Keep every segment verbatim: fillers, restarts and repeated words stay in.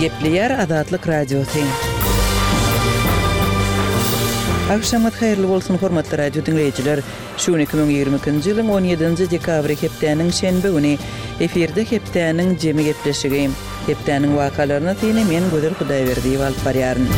Gepleýär Azatlyk Radiosy. Agşamyňyz haýyrly bolsun, hormatly radio diňleýjiler! Şu gün iki müň ýigrimi ikinji ýylyň on ýedinji dekabry hepdäniň şenbe güni. Efirde hepdäniň jemi gepleşigi. Hepdäniň wakalaryna syny men Gözel Hudaýberdiýewa alyp barýaryn.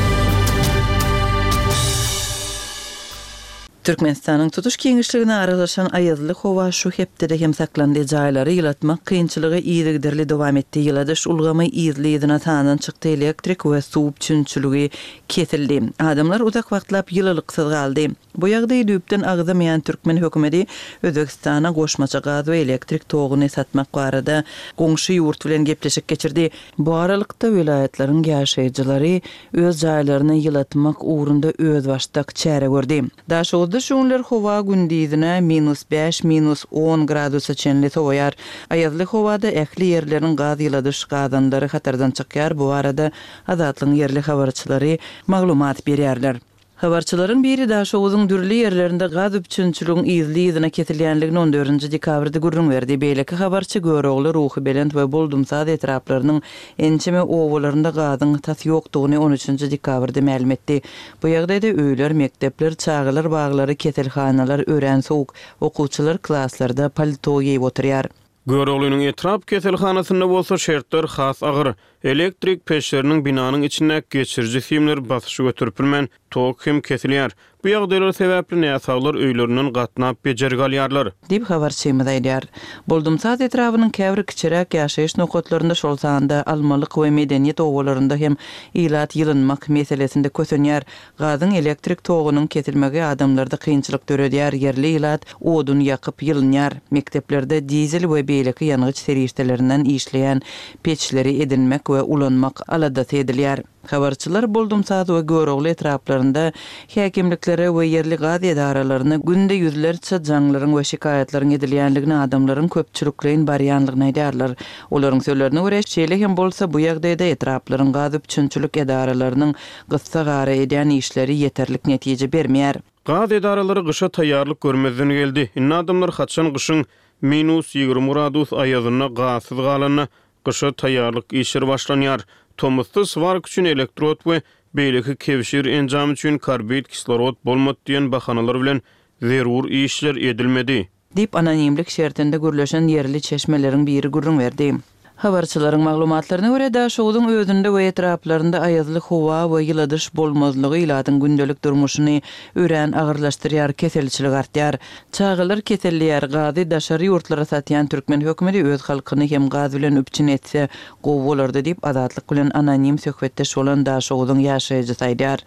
Türkmenistanyň tutuş giňişligine aralaşan aýazly howa şu hepdede hem saklandy. Jaýlary ýylatmak kynçylygy yzygiderli dowam etdi. Ýyladyş ulgamy yzly-yzyna sandan çykdy, elektrik we suw üpjünçiligi kesildi. Adamlar uzak wagtlap ýylylyksyz galdy. Bu ýagdaýy düýpden agzamaýan türkmen hökümeti Özbegistana goşmaça gaz we elektrik toguny satmak barada goňşy ýurt bilen gepleşik geçirdi. Bu aralykda, welaýatlaryň ýaşaýjylary öz jaýlaryny ýylatmak ugrunda özbaşdak çäre gördi. Daşoguzda şu günler howa gündizine minus bäş, minus on gradusa çenli sowaýar. Aýazly howada ähli ýerleriň gaz ýyladyş gazanlary hatardan çykýar, bu barada Azatlygyň ýerli habarçylary maglumat berýärler. Habarçylaryň biri Daşoguzyň dürli ýerlerinde gaz üpjünçiligiň yzly-yzyna kesilýänligini on dördünji dekabrda gürrüň berdi. Beýleki habarçy Görogly, Ruhubelent we Boldumsaz etraplarynyň ençeme obalarynda gazyň tas ýokdugyny on üçünji dekabrda mälim etdi. Bu ýagdaýda öýler, mekdepler, çagalar baglary, keselhanalar örän sowuk, okuwçylar klaslarda palto geýip oturýar. Göroglynyň etrap keselhanasynda bolsa şertler has agyr. Elektrik peçleriniň binanyň içindäki geçiriji simler basyşy göterip bilmän, tok hem kesilýär. Bu ýagdaýlar sebäpli näsaglar öýlerinden gatnap bejergi alýarlar. Diýip, habarçymyz aýdýar. Boldumsaz etrabynyň käbir kiçiräk ýaşaýyş nokatlarynda, şol sanda Almalyk we Medeniýet obalarynda hem ilat ýylynmak meselesinde kösenýär. Gazyň elektrik togunyň kesilmegi adamlarda kynçylyk döredýär, ýerli ilat odun ýakyp ýylynýar. Mekdeplerde dizel we beýleki ýangyç serişdelerinden işleýän peçleri edinmek we ulanmak aladasy edilýär. Habarçylar Boldumsaz we Görogly etraplarynda häkimliklere we ýerli gaz edaralaryna günde ýüzlerçe jaňlaryň we şikaýatlaryň edilýänligini, adamlaryň köpçülikleýin barýanlygyny aýdýarlar. Olaryň sözlerine görä, şeýle hem bolsa bu ýagdaýda etraplaryň gaz üpjünçilik edaralarynyň gyssagara edýän işleri ýeterlik netije bermeýär. Gaz edaralary gyşa taýýarlyk görmezden geldi. Indi adamlar haçan gyşyň minus ýigrimi gradus aýazynda gazsyz galanda gyşa taýýarlyk işleri başlanýar. Tomusda swark üçin elektrod we beýleki kebşir enjamy üçin karbid kislorod bolmady diýen bahanalar bilen zerur işler edilmedi. Diýip, anonimlik şertinde gürleşen ýerli çeşmeleriň biri gürrüň berdi. Habarçylaryň maglumatlaryna görä, Daşoguzyň özünde we etraplarynda aýazly howa we ýyladyş bolmazlygy ilatyň gündelik durmuşyny örän agyrlaşdyrýar, keselçilik artýar. Çagalar keselleýär, gazy daşary ýurtlara satýan türkmen hökümeti öz halkyny hem gaz bilen üpjün etse gowy bolardy diýip, Azatlyk bilen anonim söhbetdeş bolan Daşoguzyň ýaşaýjysy aýdýar.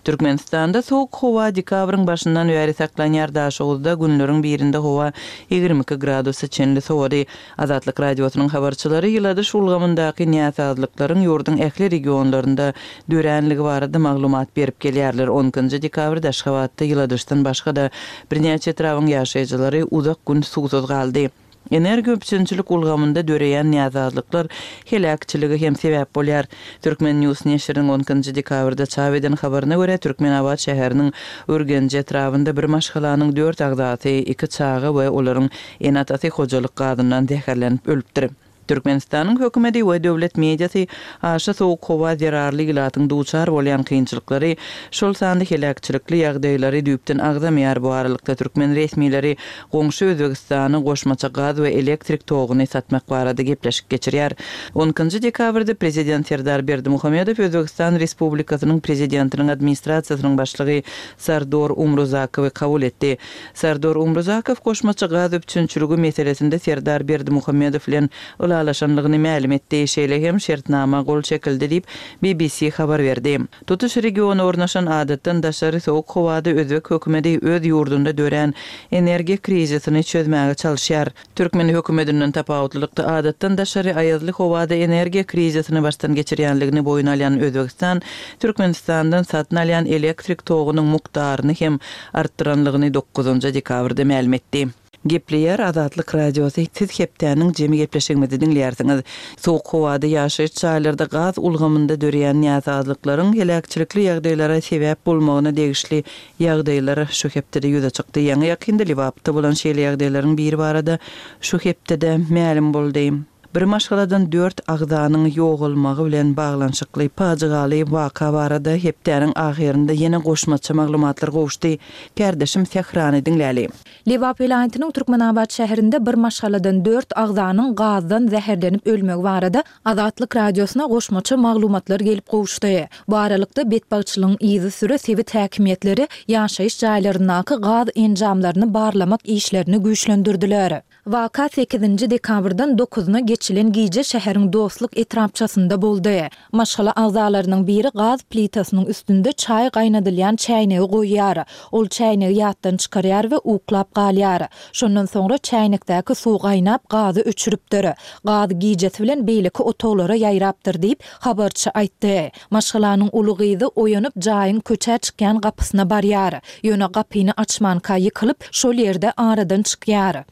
Türkmenistanda sowuk howa dekabryň başyndan bäri saklanýar, Daşoguzda günleriň birinde howa ýigrimi iki gradusa çenli sowady. Azatlyk Radiosynyň habarçylary ýyladyş ulgamyndaky näsazlyklaryň ýurduň ähli regionlarynda döränligi barada maglumat berip gelýärler. On ikinji dekabrda Aşgabatda ýyladyşdan başga-da birnäçe etrabyň ýaşaýjylary uzak gün suwsuz galdy. Energiýa üpjünçilik ulgamynda döreýän näsazlyklar heläkçilige hem sebäp bolýar. Turkmen News neşiriniň on ikinji dekabrda çap eden habaryna görä, Türkmenabat şäheriniň Ürgenji etrabynda bir maşgalanyň dört agzasy, iki çaga we olaryň ene-atasy hojalyk gazyndan zäherlenip ölüpdir. Türkmenistanyň hökümeti we döwlet mediasy aşa sowuk howa zerarly ilatyň duçar bolýan kynçylyklary, şol sanda heläkçilikli ýagdaýlary düýpden agzamaýar. Bu aralykda türkmen resmileri goňşy Özbegistana goşmaça gaz we elektrik toguny satmak barada gepleşik geçirýär. On ikinji dekabrda prezident Serdar Berdimuhamedow Özbegistan Respublikasynyň Prezidentiniň Administrasiýasynyň başlygy Sardor Umruzakowy kabul etdi. Sardor Umruzakow goşmaça gaz üpjünçiligi meselesinde Serdar Berdimuhamedow bilen ylalaşanlygyny mälim etdi, şeýle hem şertnama gol çekildi diýip, B B C habar berdi. Tutuş regiona ornaşan adatdan daşary sowuk howada özbek hökümeti öz ýurdunda dörän energiýa krizisini çözmäge çalyşýar. Türkmen hökümetinden tapawutlylykda adatdan daşary aýazly howada energiýa krizisini başdan geçirýänligini boýun alýan Özbegistan Türkmenistandan satyn alýan elektrik togunyň mukdaryny hem artdyranlygyny dokuzynjy dekabrda mälim etdi. Gepleýär Azatlyk Radiosy, siz hepdäniň jemi gepleşigimizi diňleýärsiňiz. Sowuk howada ýaşaýyş jaýlarda gaz ulgamynda döreýän näsazlyklaryň heläkçilikli ýagdaýlara sebäp bolmagyna degişli ýagdaýlar şu hepdede ýüze çykdy. Ýaňy ýakynda Lebapda bolan şeýle ýagdaýlaryň biri barada şu hepdede mälim boldy. Bir maşgaladan dört agzanyň ýogalmagy bilen baglanyşykly pajygaly waka barada hepdäniň ahyrynda ýene goşmaça maglumatlar gowuşdy. Kärdeşim Sährany diňläli. Lebap welaýatynyň Türkmenabat şäherinde bir maşgaladan dört agzanyň gazdan zäherlenip ölmegi barada Azatlyk Radiosyna goşmaça maglumatlar gelip gowuşdy. Bu aralykda, betbagtçylygyň yzysüre sebit häkimiýetleri ýaşaýyş jaýlaryndaky gaz enjamlaryny barlamak işlerini güýçlendirdiler. Waka sekizinji dekabrdan dokuzyna geçilen gije şäheriň Dostluk etrapçasynda boldy. Maşgala agzalarynyň biri gaz plitasynyň üstünde çaý gaýnadylýan çäýnegi goýýar. Ol çäýnegi ýatdan çykarýar we uklap galýar. Şondan soňra çäýnekdäki suw gaýnap, gazy öçüripdir. Gaz gijesi bilen beýleki otaglara ýaýrapdyr diýip, habarçy aýtdy. Maşgalanyň uly gyzy oýanyp, jaýyň köçä çykýan gapysyna barýar. Ýöne gapyny açmanka ýykylyp, şol ýerde aradan çykýar.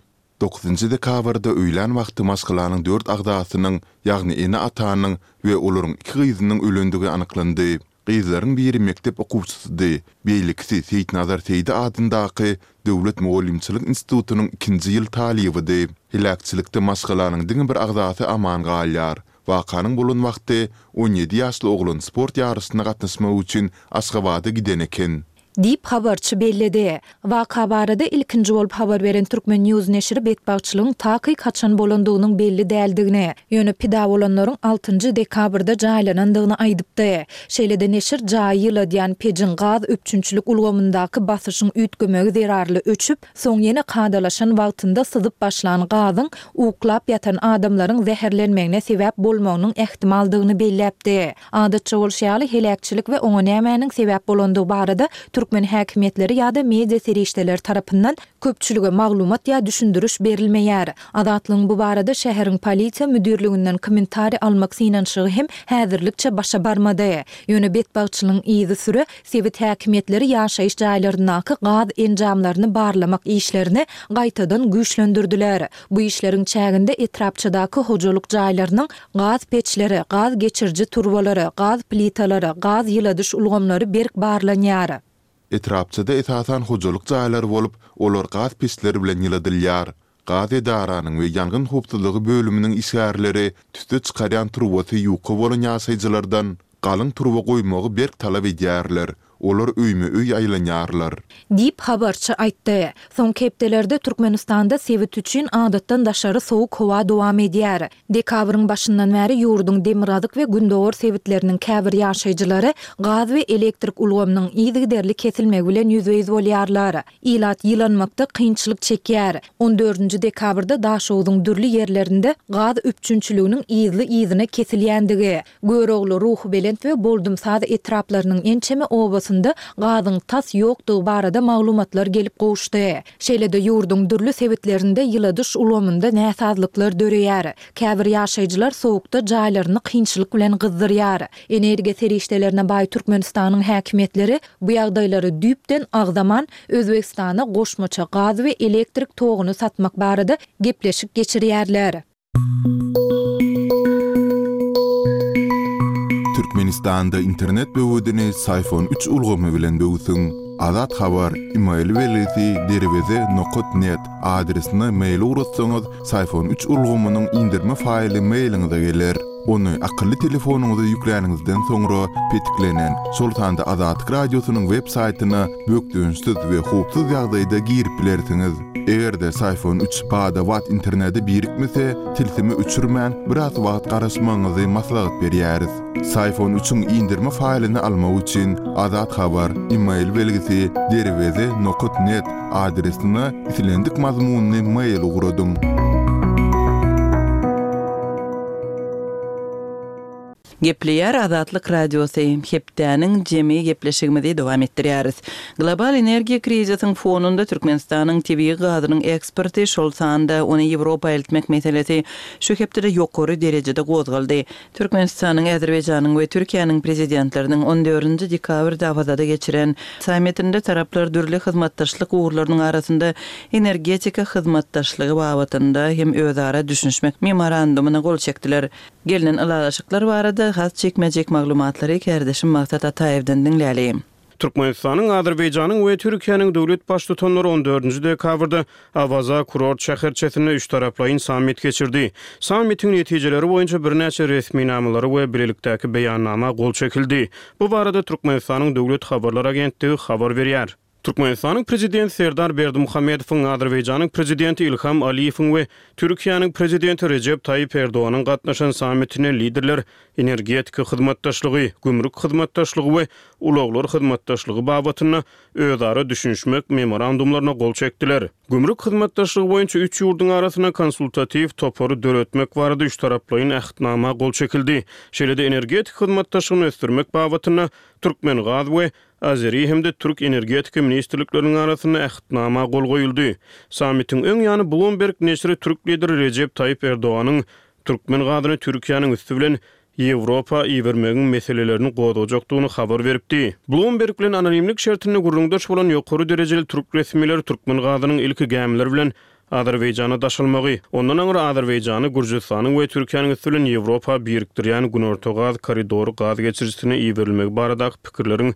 Dokuzynjy dekabrda öýlän wagty maşgalanyň dört agzasynyň, ýagny ene-atanyň we olaryň iki gyzynyň ölendigi anyklandy. Gyzlaryň biri mekdep okuwçysydy, beýlekisi Seýitnazar Seýdi adyndaky döwlet mugallymçylyk institutynyň ikinji ýyl talybydy. Heläkçilikde maşgalanyň diňe bir agzasy aman galýar. Wakanyň bolan wagty on ýedi ýaşly oglan sport ýaryşyna gatnaşmak üçin Aşgabada giden eken. Diýip, habarçy belledi. Waka barada ilkinji bolup habar beren Turkmen News neşiri betbagtçylygyň takyk haçan bolandygynyň belli däldigini, ýöne pida bolanlaryň altynjy dekabrda jaýlanandygyny aýdypdy. Şeýle-de neşir jaýy ýyladýan pejiň gaz üpjünçilik ulgamyndaky basyşyň üýtgemegi zerarly öçüp, soň ýene kadalaşan wagtynda syzyp başlan gazyň uklap ýatan adamlaryň zäherlenmegine sebäp bolmagynyň ähtimaldygyny belläpdi. Adatça bolşy ýaly, heläkçilik we oňa nämäniň sebäp bolandygy barada türkmen häkimiýetleri ýa-da media serişdeleri tarapyndan köpçülige maglumat ýa düşündiriş berilmeýär. Azatlygyň bu barada şäheriň polisiýa müdirliginden kommentariý almak synanyşygy hem häzirlikçe başa barmady. Ýöne betbagtçylygyň yzysüre sebit häkimiýetleri ýaşaýyş jaýlaryndaky gaz enjamlaryny barlamak işlerini gaýtadan güýçlendirdiler. Bu işleriň çäginde etrapçadaky hojalyk jaýlarynyň gaz peçleri, gaz geçiriji turbalary, gaz plitalary, gaz ýyladyş ulgamlary berk barlanýar. Etrapçada esasan hojalyk jaýlary bolup, olar gaz peçleri bilen ýyladylýar. Gaz edaranyň we ýangyn howpsuzlygy bölüminiň işgärleri tüsse çykarýan turbasy ýuka bolan ýaşaýjylardan galyň turba goýmagy berk talap edýärler. Olar öýme-öý aýlanýarlar. Diýip, habarçy aýtdy. Soňky hepdelerde Türkmenistanda sebit üçin adatdan daşary sowuk howa dowam edýär. Dekabryň başyndan bäri ýurduň demirgazyk we gündogar sebitleriniň käbir ýaşaýjylary gaz we elektrik ulgamynyň yzygiderli kesilmegi bilen ýüzbe-ýüz bolýarlar. Ilat ýylanmakda kynçylyk çekýär. On dördünji dekabrda Daşogzuň dürli ýerlerinde gaz üpjünçiliginiň yzly-yzyna kesilýändigi, Görogly, Ruhubelent we Boldumsaz etraplarynyň ençeme obasynda gazyň tas ýokdugy barada maglumatlar gelip gowuşdy. Şeýle-de ýurduň dürli sebitlerinde ýyladyş ulgamynda näsazlyklar döreýär. Käbir ýaşaýjylar sowukda jaýlaryny kynçylyk bilen gyzdyrýar. Energiýa serişdelerine baý Türkmenistanyň häkimiýetleri bu ýagdaýlary düýpden agzaman, Özbegistana goşmaça gaz we elektrik toguny satmak barada gepleşik geçirýärler. Türkmenistanda internet böwedini Syfon üç ulgamy bilen böwsüň. Azat Habar, email belgisi derweze nokat net adresine mail ugratsaňyz, Syfon üç ulgamynyň indirme faýly mailiňize geler. Ony akylly telefonyňyza ýükläniňizden soňra petiklenen, şol sanda Azatlyk Radiosynyň web saýtyna bökdençsiz we howpsuz ýagdaýda girip bilersiňiz. Eger-de Syfon üç bada-bat internete birikmese, tilsimi öçürmän, biraz wagt garaşmagyňyzy maslahat berýäris. Syfon üçiň indirme faýlyny almak üçin Azat Habar, email belgisi derweze nokat net adresine islendik mazmunly mail ugradyň. Gepleýär Azatlyk Radiosy, hepdäniň jemi gepleşigimizi dowam etdirýäris. Global energiýa krizisiň fonunda Türkmenistanyň tebigy gazynyň eksporty, şol sanda ony Ýewropa eltmek meselesi şu hepdede ýokary derejede gozgaldy. Türkmenistanyň, Azerbaýjanyň we Türkiýäniň Prezidentleriniň on dördünji dekabrda Awazada geçiren sammitinde taraplar dürli hyzmatdaşlyk ugurlarynyň arasynda energetika hyzmatdaşlygy babatynda hem özara düşünişmek memorandumyna gol çekdiler. Gelnen ylalaşyklar barada has jikme-jik maglumatlary kärdeşim Maksat Ataýewden diňläli. Türkmenistanyň, Azerbaýjanyň we Türkiýäniň döwlet Baştutanlary on dördünji dekabrda Awaza kurort şäherçesinde üçtaraplaýyn sammit geçirdi. Sammitiň netijeleri boýunça birnäçe resminamalara we bilelikdäki beýannama gol çekildi. Bu barada Türkmenistanyň Döwlet habarlar agentligi habar berýär. Türkmenistanyň Prezidenti Serdar Berdimuhamedowyň, Azerbaýjanyň Prezidenti Ilham Aliýewiň we Türkiýäniň Prezidenti Rejep Taýyp Erdoganyň gatnaşan sammitinde liderler energetika hyzmatdaşlygy, gümrük hyzmatdaşlygy we ulaglar hyzmatdaşlygy babatynda özara düşünişmek memorandumlaryna gol çekdiler. Gümrük hyzmatdaşlygy boýunça üç ýurduň arasynda konsultatiw topary döretmek barada üçtaraplaýyn ähtnama gol çekildi. Şeýle-de energetika hyzmatdaşlygyny ösdürmek babatynda Türkmengaz we Azeri hem-de türk energetika ministrlikleriniň arasynda ähtnama gol goýuldy. Sammitiň öň ýany Bloomberg neşiri türk lideri Rejep Taýyp Erdoganyň türkmen gazyny Türkiýäniň üsti bilen Ýewropa ibermegiň meselelerini gozgajakdygyny habar beripdi. Bloomberg bilen anonimlik şertinde gürrüňdeş bolan ýokary derejeli türk resmileri türkmen gazynyň ilki gämiler bilen Azerbaýjana daşalmagy, ondan aňry Azerbaýjany Gürjüstanyň we Türkiýäniň üsti bilen Ýewropa birikdirýän Günorta gaz koridory gaz geçirijisine iberilmegi baradaky pikirleriň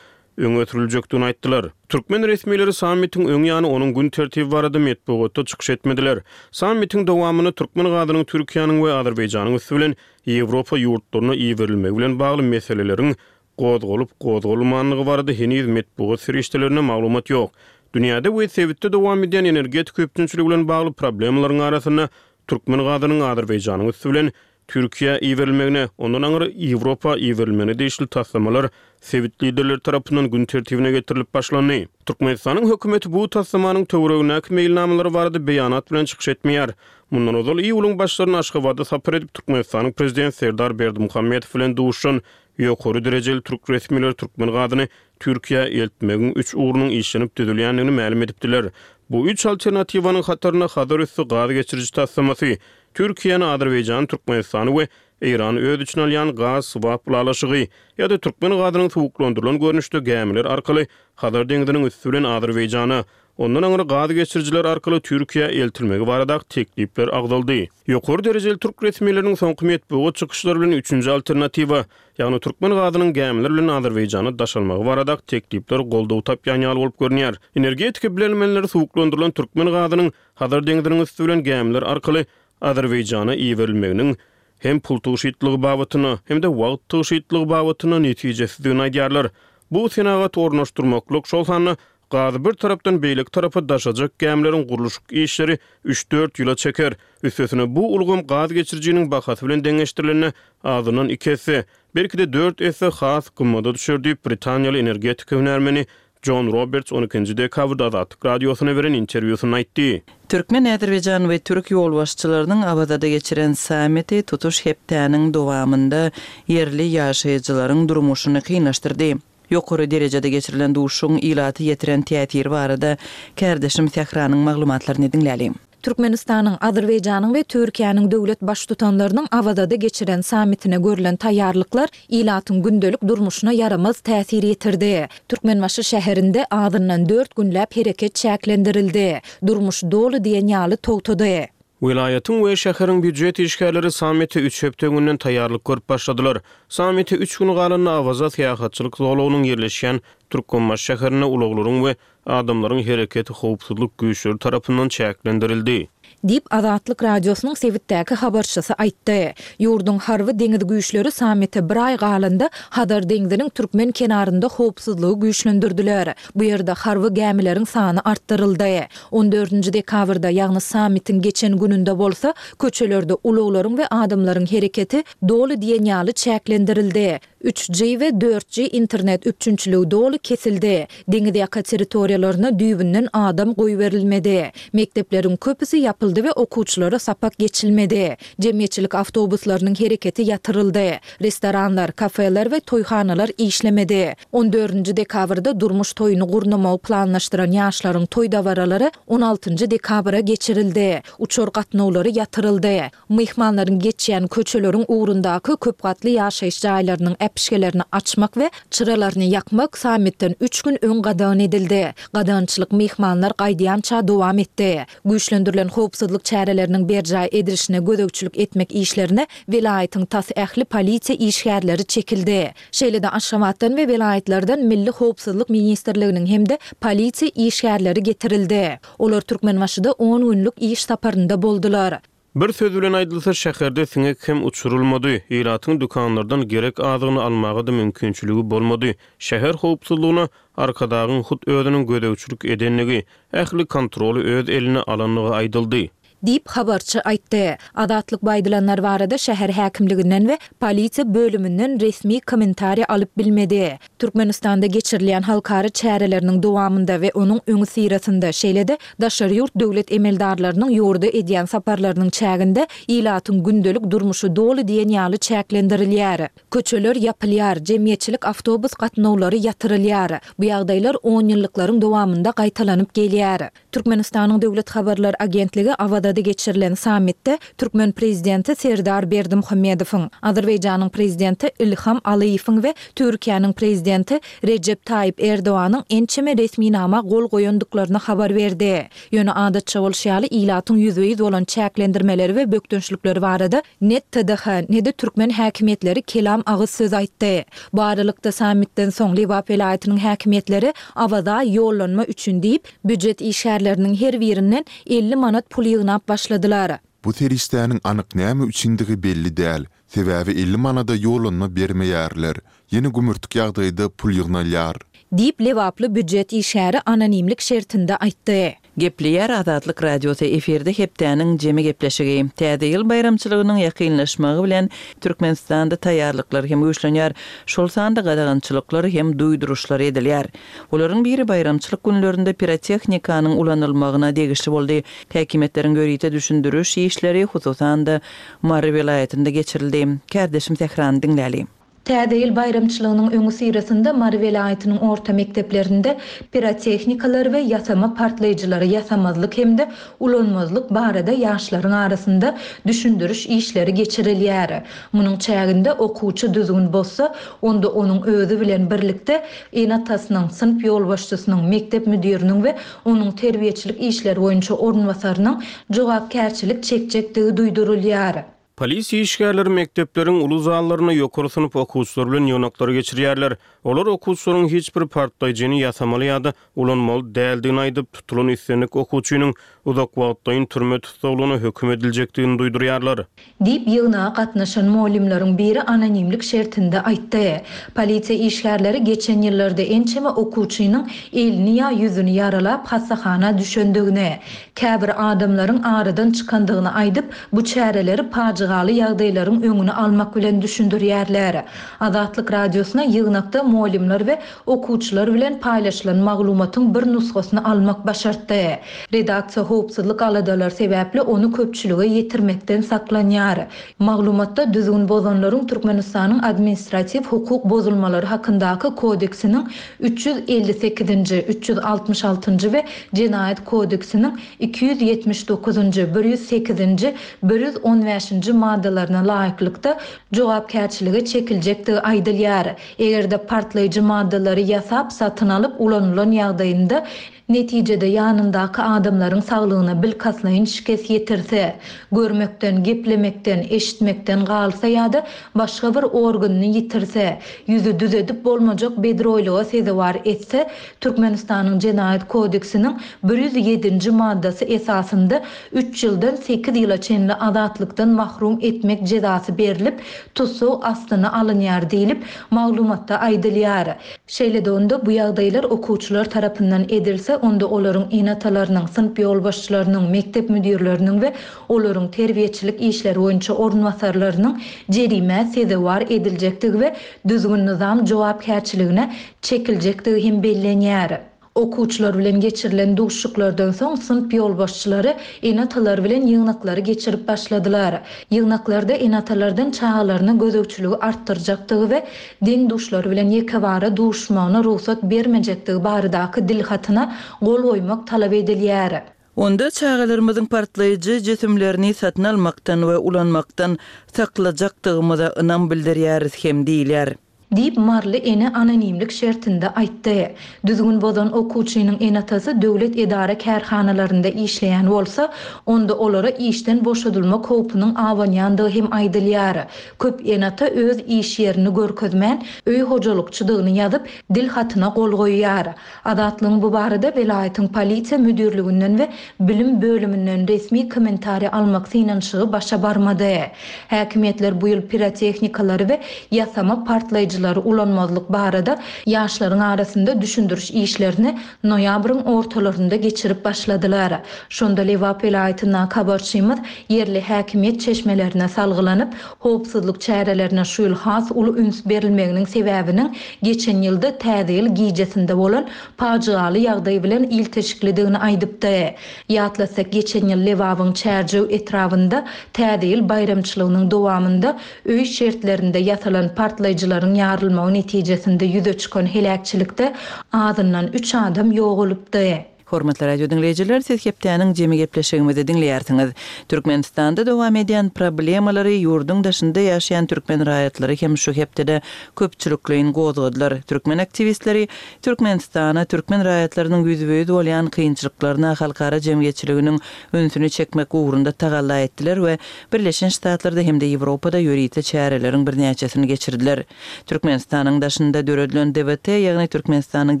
öňe sürüljekdigini aýtdylar. Türkmen resmileri sammitiň öň ýany onuň gün tertibi barada metbugatda çykyş etmediler. Sammitiň dowamynda türkmen gazynyň Türkiýäniň we Azerbaýjanyň üsti bilen Ýewropa ýurtlaryna iberilmegi bilen bagly meseleleriň gozgalyp-gozgalmandygy barada heniz metbugat serişdelerinde maglumat ýok. Dünýäde we sebitde dowam edýän energetika üpjünçiligi bilen bagly problemalaryň arasynda türkmen gazynyň Azerbaýjanyň üsti bilen Türkiýä iberilmegine, ondan aňry Ýewropa iberilmegine degişli taslamalar sebit liderleri tarapyndan gün tertibine getirilip başlandy. Türkmenistanyň hökümeti bu taslamanyň töweregindäki meýilnamalary barada beýanat bilen çykyş etmeýär. Mundan ozal iýulyň başlarynda Aşgabada sapar edip, Türkmenistanyň Prezidenti Serdar Berdimuhamedow bilen duşuşan ýokary derejeli türk resmileri türkmen gazyny Türkiýä eltmegiň üç ugrunyň işlenip düzülýändigini mälim edipdiler. Bu üç alternatiwanyň hatarynda Hazar üsti gaz geçiriji taslamasy, Türkiýäni, Azerbaýjany, Türkmenistany we Eýrany öz içine alýan gaz swap ylalaşygy ýa-da türkmen gazynyň suwuklandyrylan görnüşde gämiler arkaly Hazar deňziniň üsti bilen Azerbaýjana, ondan aňry gaz geçirijiler arkaly Türkiýä eltilmegi baradaky teklipler agzaldy. Ýokary derejeli türk resmileriniň soňky metbugat çykyşlary bilen üçünji alternatiwa, ýagny türkmen gazynyň gämiler bilen Azerbaýjana daşalmagy baradaky teklipler goldaw tapýan ýaly bolup görünýär. Energetika bilermenleri suwuklandyrylan türkmen gazynyň Hazar deňziniň üsti bilen gämiler arkaly Azerbaýjana iberilmeginiň hem pul tygşytlygy babatynda, hem-de wagt tygşytlygy babatynda netijesizdigini aýdýarlar. Bu senagat ornaşdyrmaklyk, şol sanda gazy bir tarapdan beýleki tarapa daşajak gämileriň gurluşyk işleri üç-dört ýyla çeker. Üstesine bu ulgam gaz geçirijiniň bahasy bilen deňeşdirilende azyndan iki esse, belki-de dört esse has gymmada düşer diýip, britaniýaly energetika hünärmeni Jon Roberts on ikinji dekabrda Azatlyk Radiosyna beren interwýusynda aýtdy. Türkmen, azerbaýjan we türk ýolbaşçylarynyň Awazada geçiren sammiti tutuş hepdäniň dowamynda ýerli ýaşaýjylaryň durmuşyny kynlaşdyrdy. Ýokary derejede geçirilen duşuşygyň ilaty ýetiren täsiri barada kärdeşim Sähranyň maglumatlaryny diňläliň. Türkmenistanyň, Azerbaýjanyň we Türkiýäniň döwlet Baştutanlarynyň Awazada geçiren sammitine görlen taýýarlyklar ilatyň gündelik durmuşyna ýaramaz täsir ýetirdi. Türkmenbaşy şäherinde azyndan dört günläp hereket çäklendirildi. Durmuş doly diýen ýaly togtady. Welaýatyň we şäheriň býujet işgärleri sammite üç hepde öňünden taýýarlyk görüp başladylar. Sammite üç gün galanda Awaza syýahatçylyk zolagynyň ýerleşýän Türkmenbaşy şäherinde ulaglaryň we adamlaryň hereketi howpsuzlyk güýçleri tarapyndan çäklendirildi. Diýip, Azatlyk Radiosynyň sebitdäki habarçysy aýtdy. Ýurduň harby-deňiz güýçleri sammite bir aý galanda Hazar deňziniň türkmen kenarynda howpsuzlygy güýçlendirdiler. Bu ýerde harby gämileriň sany artdyryldy. On dördünji dekabrda, ýagny sammitiň geçen gününde bolsa, köçelerde ulaglaryň we adamlaryň hereketi doly diýen ýaly çäklendirildi. Üç G we dört G internet üpjünçiligi doly kesildi. Deňiz ýaka territoriýalaryna düýbünden adam goýberilmedi. Mekdepleriň köpüsi ýapyldy we okuwçylara sapak geçilmedi. Jemgyýetçilik awtobuslarynyň hereketi ýatyryldy. Restoranlar, kafeler we toýhanalar işlemedi. On dördünji dekabrda durmuş toýuny gurnamagy planlaşdyran ýaşlaryň toý dabaralary on altynjy dekabra geçirildi. Uçar gatnawlary ýatyryldy. Myhmanlaryň geçýän köçeleriň ugrundaky köp gatly ýaşaýyş jaýlarynyň äpişgelerini açmak we çyralaryny ýakmak sammitden üç gün öň gadagan edildi. Gadagançylyk myhmanlar gaýdýança dowam etdi. Güýçlendirilen howpsuzlyk Howpsuzlyk çäreleriniň berjaý edilişine gözegçilik etmek işlerine welaýatyň tas ähli polisiýa işgärleri çekildi. Şeýle-de Aşgabatdan we welaýatlardan Milli howpsuzlyk ministrliginiň hem-de polisiýa işgärleri getirildi. Olar Türkmenbaşyda on günlük iş saparynda boldular. Bir söz bilen aýdylsa, şäherde siňek hem uçurylmady. Ilatyň dükanlardan gerek azygyny almaga-da mümkinçiligi bolmady. Şäher howpsuzlygyna Arkadagyň hut özüniň gözegçilik edendigi, ähli kontroly öz eline alandygy aýdyldy. Diýip, habarçy aýtdy. Azatlyk bu aýdylanlar barada şäher häkimliginden we polisiýa bölüminden resmi kommentariý alyp bilmedi. Türkmenistanda geçirilýän halkara çäreleriniň dowamynda we onuň öňüsyrasynda, şeýle-de daşary ýurt döwlet emeldarlarynyň ýurda edýän saparlarynyň çäginde ilatyň gündelik durmuşy doly diýen ýaly çäklendirilýär. Köçeler ýapylýar, jemgyýetçilik awtobus gatnawlary ýatyrylýar. Bu ýagdaýlar onýyllyklaryň dowamynda gaýtalanyp gelýär. Türkmenistanyň Döwlet habarlar agentligi Awazada geçirilen sammitde türkmen prezidenti Serdar Berdimuhamedowyň, Azerbaýjanyň prezidenti Ilham Alyýewiň we Türkiýäniň prezidenti Rejep Taýyp Erdoganyň ençeme resminama gol goýandyklaryny habar berdi. Ýöne adatça bolşy ýaly ilatyň ýüzbe-ýüz bolan çäklendirmeleri we bökdençlikleri barada ne TDH, ne-de türkmen häkimiýetleri kelam agyz söz aýtdy. Bu aralykda sammitden soň Lebap welaýatynyň häkimiýetleri Awaza ýollanma üçin diýip, Býujet işgärleriniň her birinden elli manat pul ýygnap başladylar. Bu serişdäniň anyk näme üçindigi belli däl. Sebäbi elli manada ýollanma bermeýärler. Ýene gümürtik ýagdaýda pul ýygnalýar. Diýip, lebaply býujet işgäri anonimlik şertinde aýtdy. Gepleýär Azatlyk Radiosy, efirde hepdäniň jemi gepleşigi. Täze ýyl baýramçylygynyň ýakynlaşmagy bilen Türkmenistanda taýýarlyklar hem güýçlenýär, şol sanda gadagançylyklar hem duýduryşlar edilýär. Olaryň biri baýramçylyk günlerinde pirotehnikanyň ulanylmagyna degişli boldy. Häkimiýetleriň ýörite düşündiriş işleri, hususan-da, Mary welaýatynda geçirildi. Kärdeşim Sährany diňläli. Täze ýyl baýramçylygynyň öňüsyrasynda Mary welaýatynyň orta mekdeplerinde pirotehnikalar we ýasama partlaýjylary ýasamazlyk hem-de ulanmazlyk barada ýaşlaryň arasynda düşündiriş işleri geçirilýär. Munuň çäginde okuwçy düzgün bozsa, onda onuň özi bilen birlikde ene-atasynyň, synp ýolbaşçysynyň, mekdep müdiriniň we onuň terbiýeçilik işleri boýunça orunbasarynyň jogapkärçilik çekjekdigi duýdurylýar. Polisiýa işgärleri mekdepleriň uly zallarynda ýokary synp okuwçylary bilen ýygnaklary geçirýärler. Olar okuwçylaryň hiç bir partlaýjyny ýasamaly ýa-da ulanmaly däldigini aýdyp, tutulan islendik okuwçynyň uzak wagtlaýyn türme tussaglygyna höküm ediljekdigini duýdurýarlar. Diýip, ýygnaga gatnaşan mugallymlaryň biri anonimlik şertinde aýtdy. Polisiýa işgärleri geçen ýyllarda ençeme okuwçynyň elini ýa ýüzüni ýaralap hassahana düşendigini, käbir adamlaryň aradan çykandygyny aýdyp, bu çäreleri pajygaly ýagdaýlaryň öňüni almak bilen düşündirýärler. Azatlyk Radiosyna ýygnakda mugallymlar we okuwçylar bilen paýlaşylan maglumatyň bir nusgasyny almak başartdy. Redaksiýa howpsuzlyk aladalary sebäpli ony köpçülige ýetirmekden saklanýar. Maglumatda düzgün bozanlaryň Türkmenistanyň Administratiw hukuk bozulmalary hakyndaky kodeksiniň üç ýüz elli sekizinji, üç ýüz altmyş altynjy we Jenaýat kodeksiniň iki ýüz ýetmiş dokuzynjy, bir ýüz sekizinji, bir ýüz on bäşinji maddalaryna laýyklykda jogapkärçilige çekiljekdigi aýdylýar. Eger-de partlaýjy maddalary ýasap, satyn alyp ulanylan ýagdaýynda, netijede ýanyndaky adamlaryň saglygyna bilkastlaýyn şikes ýetirse, görmekden, geplemekden, eşitmekden galsa ýa-da başga bir organyny ýitirse, ýüzi düzedip bolmajak bedroýlyga sezewar etse, Türkmenistanyň Jenaýat kodeksiniň bir ýüz ýedinji maddasy esasynda üç ýyldan sekiz ýyla çenli azatlykdan mahrum etmek jezasy berlip, tussag astyna alynýar diýlip, maglumatda aýdylýar. Şeýle-de onda bu ýagdaýlar okuwçylar tarapyndan edilse, onda olaryň ene-atalarynyň, synp ýolbaşçylarynyň, mekdep müdirleriniň we olaryň terbiýeçilik işleri boýunça orunbasarlarynyň jerimä sezewar ediljekdigi we düzgün-nyzam jogapkärçiligine çekiljekdigi hem bellenýär. Okuwçylar bilen geçirilen duşuşyklardan soň synp ýolbaşçylary ene-atalar bilen ýygnaklary geçirip başladylar. Ýygnaklarda ene-atalardan çagalaryna gözegçiligi artdyrjakdygy we deň-duşlary bilen ýekebara duşuşmagyna rugsat bermejekdigi baradaky dilhatyna gol goýmak talap edilýär. Onda çagalarymyzyň partlaýjy jisimlerini satyn almakdan we ulanmakdan saklajakdygymyza ynam bildirýäris hem diýilýär. Diýip, maryly ene anonimlik şertinde aýtdy. Düzgün bozan okuwçynyň ene-atasy döwlet edara-kärhanalarynda işleýän bolsa, onda olara işden boşadylmak howpunyň abanýandygy hem aýdylýar. Köp ene-ata öz iş ýerini görkezmän, öý hojalykçydygyny ýazyp, dil hatyna gol goýýar. Azatlygyň bu barada welaýatyň polisiýa müdirliginden we bilim bölüminden resmi kommentariý almak synanyşygy başa barmady. Häkimiýetler bu ýyl pirotehnikalary we ýasama partlaýjylary ulanmazlyk barada ýaşlaryň arasynda düşündiriş işlerini noýabryň ortalarynda geçirip başladylar. Şonda Lebap welaýatyndaky habarçymyz ýerli häkimiýet çeşmelerine salgylanyp, howpsuzlyk çärelerine şu ýyl has uly üns berilmeginiň sebäbiniň geçen ýylda Täze ýyl gijesinde bolan pajygaly ýagdaý bilen ilteşiklidigini aýdypdy. Ýatlasak, geçen ýyl Lebabyň Çärjew etrabynda Täze ýyl baýramçylygynyň dowamynda öý şertlerinde ýasalan partlaýjylaryň ýarylmagy netijesinde ýüze çykan heläkçilikde azyndan üç adam ýogalypdy. Hormatly radio diňleýjiler, siz hepdäniň jemi gepleşigimizi diňleýärsiňiz. Türkmenistanda dowam edýän problemalary ýurduň daşynda ýaşaýan türkmen raýatlary hem şu hepdede köpçülikleýin gozgadylar. Türkmen aktiwistleri Türkmenistana türkmen raýatlarynyň ýüzbe-ýüz bolýan kynçylyklaryna halkara jemgyýetçiliginiň ünsüni çekmek ugrunda tagalla etdiler we Birleşen Ştatlarda hem-de Ýewropada ýörite çäreleriň birnäçesini geçirdiler. Türkmenistanyň daşynda döredilen D W T, ýagny Türkmenistanyň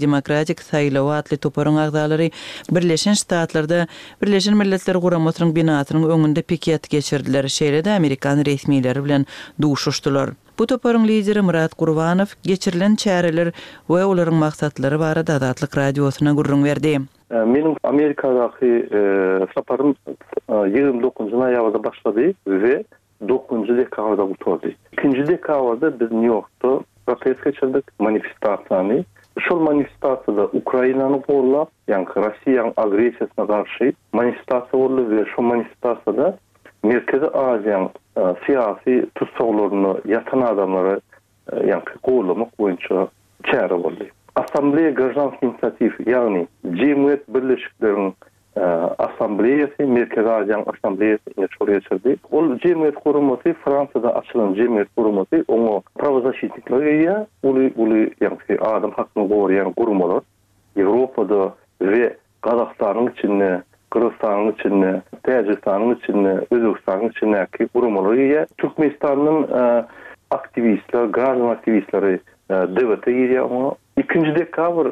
Demokratik saýlawy atly toparyň agzalary Birleşen Ştatlarda Birleşen Milletler Guramasynyň binasynyň öňünde piket geçirdiler, şeýle-de amerikan resmileri bilen duşuşdylar. Bu toparyň lideri Myrat Gurbanow geçirilen çäreler we olaryň maksatlary barada Azatlyk Radiosyna gürrüň berdi. Meniň Amerikadaky saparym ýigrimi dokuzynjy noýabrda başlady we dokuzynjy dekabrda gutardy. Ikinji dekabrda biz Nýu-Ýorkda protest geçirdik, manifestasiýany. Şol manifestasiýada Ukrainany gollap, ýagny Russiýanyň agressiýasyna garşy manifestasiýa boldy we şol manifestasiýada Merkezi Aziýanyň syýasy tussaglarynda ýatan adamlary, ýagny gollamak boýunça çäre boldy. Assambleýa graždanskiý inisiatiw, ýagny jemgyýet birleşikleriň assambleýasy, Merkezi Aziýanyň assambleýasy ine şol geçirdi. Ol jemgyýet guramasy Fransiýada açylan jemgyýet guramasy, oňa prawozaşitnikler girýär, uly-uly, ýagny adam hakyny goraýan guramalar Ýewropada we Gazagystanyň içinde, Gyrgyzystanyň içinde, Täjigistanyň içinde, Özbegistanyň içindäki guramalar girýär. Türkmenistandan aktiwistler, graždan aktiwistleri D W T girýär oňa. Ikinji dekabr,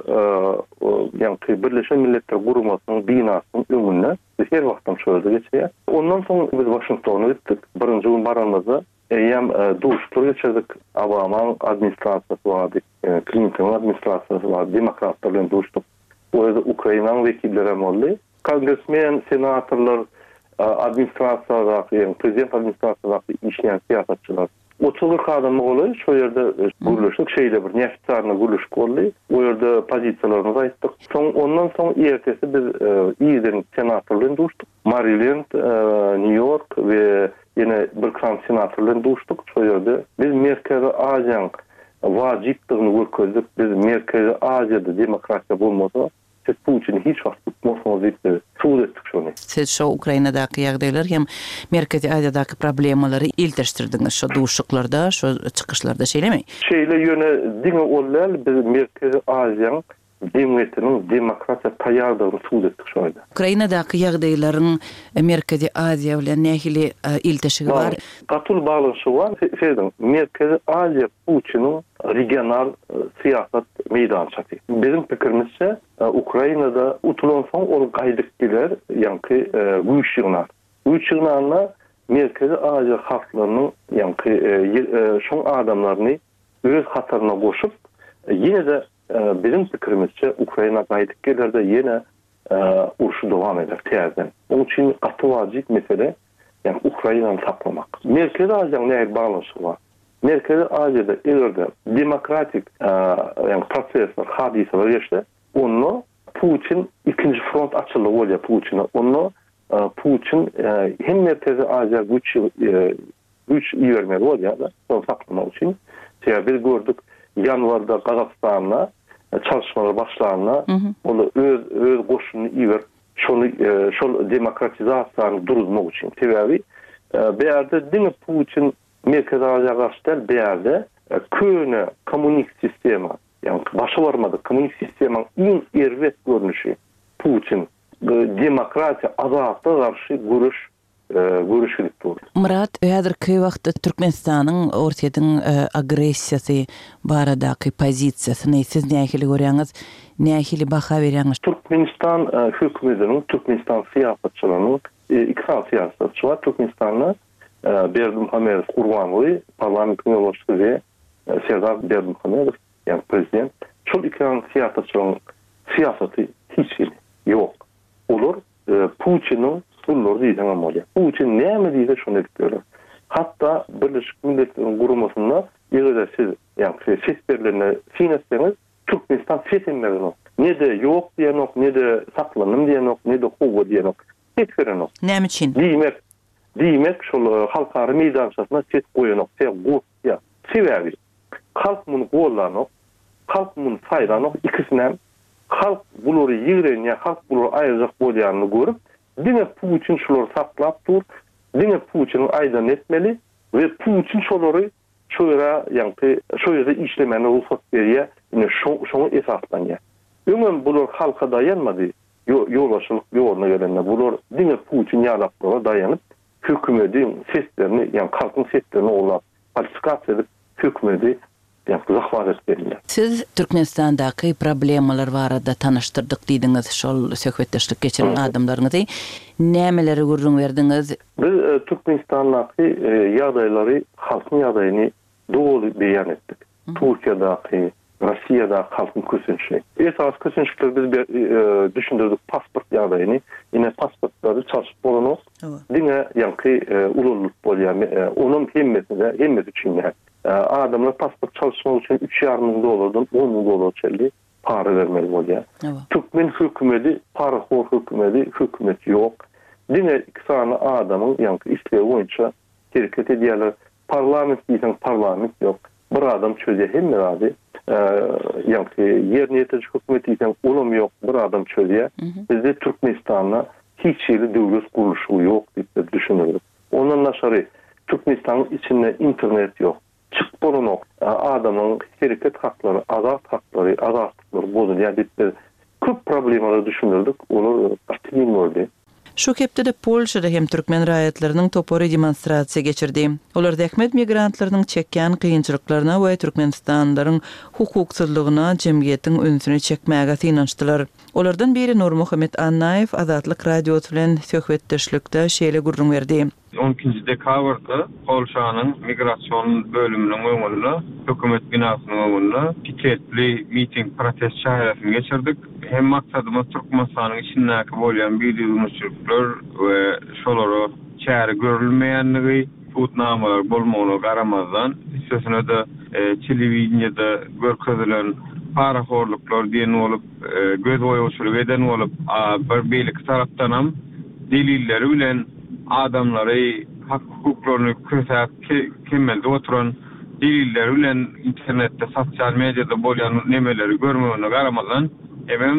ýagny Birleşen Milletler Guramasynyň binasynyň öňünde biz her wagtam şol ýerde geçirýär. Ondan soň biz Waşingtona gitdik. Birinji gün baranymyzda eýýäm duşuşyklar geçirdik. Obamanyň administrasiýasy bardy, Klintonyň administrasiýasy bardy, demokratlar bilen duşduk. O ýerde Ukrainanyň wekilleri hem boldy. Kongresmen, senatorlar, administrasiýadaky, ýagny prezident administrasiýadaky işleýän syýasatçylar. Otuz kyrk adama golaý şo ýerde gürleşdik, şeýle bir neofitsialny gürleşik boldy. O ýerde pozisiýalarymyzy aýtdyk. Soň ondan soň ertesi biz irden senator bilen duşduk. Maryland, Nýu-Ýork we ýene bir sany senator bilen duşduk. Şo ýerde biz Merkezi Aziýanyň wajypdygyny görkezdik. Biz Merkezi Aziýada demokratiýa bolmasa, siz Putini hiç wagt tutmarsyňyz diýip biz subut etdik şony. Siz şo Ukrainadaky ýagdaýlar hem Merkezi Aziýadaky problemalary ilteşdirdiňiz şo duşuşyklarda, şo çykyşlarda, şeýlemi? Şeýle, ýöne diňe ol däl, biz Merkezi Aziýanyň jemgyýetiniň demokratiýa taýýardygyny subut etdik şo ýerde. Ukrainadaky ýagdaýlaryň Merkezi Aziýa bilen nähili ilteşigi bar? Gaty uly baglanyşygy bar. Serediň, Merkezi Aziýa Putiniň regional syýasat meýdançasy. Biziň pikirimizçe, Ukrainada utulan soň ol gaýdyp geler, ýagny güýç ýygnar. Güýç ýygnanda Merkezi Aziýa halklarynyň, ýagny şoň adamlaryny öz hataryna goşup, ýene-de biziň pikirimizçe Ukraina gaýdyp geler-de ýene urşy dowam eder täzeden. Onuň üçin gaty wajyp mesele, ýagny Ukrainany saklamak. Merkezi Aziýanyň nähili baglanyşygy bar? Merkezi Aziýada eger-de demokratik, ýagny prosesler, hadysalar geçse, onda Putin ikinji front açyldy bolýar Putin'e. Onda Putin hem Merkezi Aziýa güýç güýç ibermeli bolýar-da, şony saklamak üçin. Sebäbi biz gördük, ýanwarda Gazagystanda çalışmalar başlanda ol öz öz goşunyny iberip, şony şol demokratizasiýany duruzmak üçin. Sebäbi bu ýerde diňe Putin Merkezi Aziýa garşy däl, bu ýerde Köne kommunist sistema, ýagny başa barmadyk kommunist sistemaň iň erbet görnüşi Putin demokratiýa, azatlyga garşy göreş göreş gidip dur. Myrat, häzirki wagtda Türkmenistanyň Orsýetiň agressiýasy baradaky pozisiýasyny siz nähili görýäňiz, nähili baha berýäňiz? Türkmenistan hökümetiniň, Türkmenistan syýasatçylarynyň iki sany syýasatçy bar Türkmenistanda, Berdimuhamedow Gurbanguly, parlamentiň ýolbaşçysy we Serdar Berdimuhamedow, ýagny prezident. Şol iki sany syýasatçylaryň syýasaty hiç hili ýok. Olar Putiniň gullary diýseňem bolýar. Putin näme diýse şony edip ýörler. Hatda Birleşik Milletleriň Guramasynda eger-de siz, ýagny ses berlende syn etseňiz, Türkmenistan ses hem berenok. Ne-de ýok diýenok, ne-de saklandym diýenok, ne-de howwa diýenok. Ses berenok. Näme üçin? Diýmek, diýmek şol halkara meýdançasynda ses goýanok, ses gorkýar. Sebäbi halk muny gollanok, halk muny saýlanok, ikisinem halk bulary ýigrenýär, halk bulary aýyrjak bolýanyny görüp, diňe Putin şulary saklap dur, diňe Putiniň aýdanyny etmeli we Putin şolary şo ýere, ýagny şo ýerde işlemäne rugsat berýär, ine şoňa esaslanýar. Öňem bular halka daýanmady, ýolbaşçylyk ýoluna gelende bular diňe Putin ýalaklara daýanyp, hökümediň seslerini, ýagny halkyň seslerini ogurlap, falsifikasiýa edip hökümedi ýagny zahwat edip geldiler. Siz Türkmenistandaky problemalar barada tanyşdyrdyk diýdiňiz, şol söhbetdeşlik geçiren adamlaryňyzy. Nämeleri gürrüň berdiňiz? Biz Türkmenistandaky ýagdaýlary, halkyň ýagdaýyny doly beýan etdik. Türkiýedäki, Russiýadaky halkyň kösençligi. Esasy kösençlikleri biz düşündirdik, pasport ýagdaýyny. Ine pasportlary çalşyp bolanok. Diňe ýaňky ulanlyp bolýar. Onuň hemmesine, hemmesi üçin däl. Adamlar pasport çalyşmak üçin üç ýarym müň dollardan on müň dollara çenli para bermeli bolýar. Türkmen hökümeti, parahor hökümeti, hökümet ýok. Diňe iki sany adamyň ýaňky islegi boýunça hereket edýärler. Parlament diýseň parlament ýok. Bir adam çözýär hemme zady. Ýaňky ýerine ýetiriji hökümet diýseň olam ýok, bir adam çözýär. Bizde Türkmenistanda hiç hili döwlet gurluşy ýok diýip düşünürdik. Ondan daşary Türkmenistanyň içinde internet ýok. Çyk bolanok. Adamyň hereket haklary, azat haklary, azatlyklary bozulýar diýip biz köp problemalar düşündirdik. Olar gaty giň boldy. Şu hepdede Polşada hem türkmen raýatlarynyň topary demonstrasiýa geçirdi. Olar zähmet migrantlarynyň çekýän kynçylyklaryna we Türkmenistanlylaryň hukuksyzlygyna jemgyýetiň ünsüni çekmäge synanyşdylar. Olardan biri Nurmuhammet Annaýew Azatlyk Radiosy bilen söhbetdeşlikde şeýle gürrüň berdi. on ikinji dekabrda Polşanyň migrasion bölüminiň öňünde, hökümet binasynyň öňünde piketli miting protest çäresini geçirdik. Hem maksadymyz Türkmenistanyň içindäki bolýan bidüzgünçilikler we şolara çäre görülmeýänligi, sudnamalar bolmagyna garamazdan, üstesine de telewideniýede görkezilen parahorluklar diýen bolup, göz boýagçylyk eden bolup, bir beýleki tarapdanam delilleri bilen adamlary hak hukuklaryny kösäp kemeldi oturan delilleri bilen internetde, sosyal medyada bolýan nemeleri görmegine garamazdan, hemem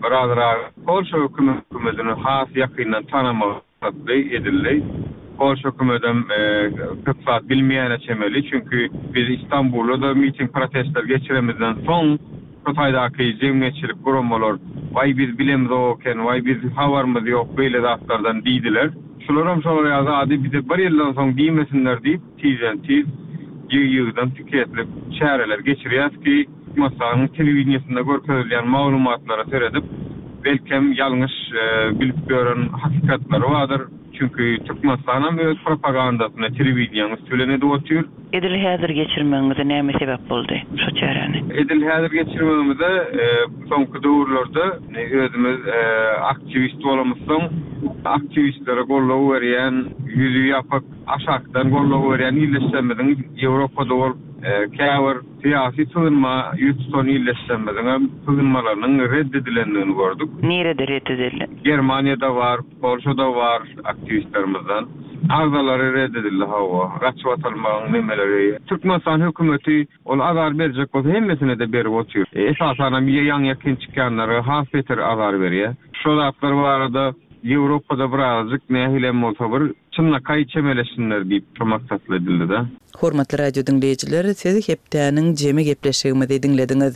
birazrak Polşa hökümetini has ýakyndan tanamagy edildi. Polşa hökümetem köp zat bilmeýäne çemeli, çünki biz İstanbulda da miting protestler geçiremizden soň Hytaýdaky jemgyýetçilik guramalar, "Waý biz bilemiz oken, waý biz habarymyz ýok beýle zatlardan" diýdiler. Şularam şolar ýaly zady bize bir ýyldan soň diýmesinler diýip, tizden tiz ýygy-ýygydan piketli çäreler geçirýäs ki, Türkmenistanyň telewideniýesinde görkezilýän maglumatlara seredip, belkem ýalňyş bilip ýören hakykatlary bardyr. Çünki Türkmenistan hem öz propagandasyny telewideniýäň üstü bilen edip otyr. Edil häzir geçirmegiňize näme sebäp boldy şu çäräni? Edil häzir geçirmegimize soňky döwürlerde özümiz aktiwist bolamyzsoň, aktiwistlere goldaw berýän, ýüzi ýapyk aşakdan goldaw berýän illeşlerimiziň Ýewropada bolup, käbir syýasy sygynma ýüz tutan illeşlerimiziň hem sygynmalarynyň red edilendigini gördük. Nirede red edildi? Germaniýada bar, Polşada bar aktiwistlerimizden. Arzalary red edildi hawa, gaçyp atylmagyň nemeleri. Türkmenistan hökümeti ol azar berjek bolsa hemmesine de berip otyr. Esasan hem ýaň ýakyn çykýanlara has beter azar berýär. Şo zatlar barada Ýewropada birazajyk nähilem bolsa bir çynlakaý çemeleşsinler diýip şo maksatly edildi-de. Hormatly radio diňleýjiler, siz hepdäniň jemi gepleşigimizi diňlediňiz.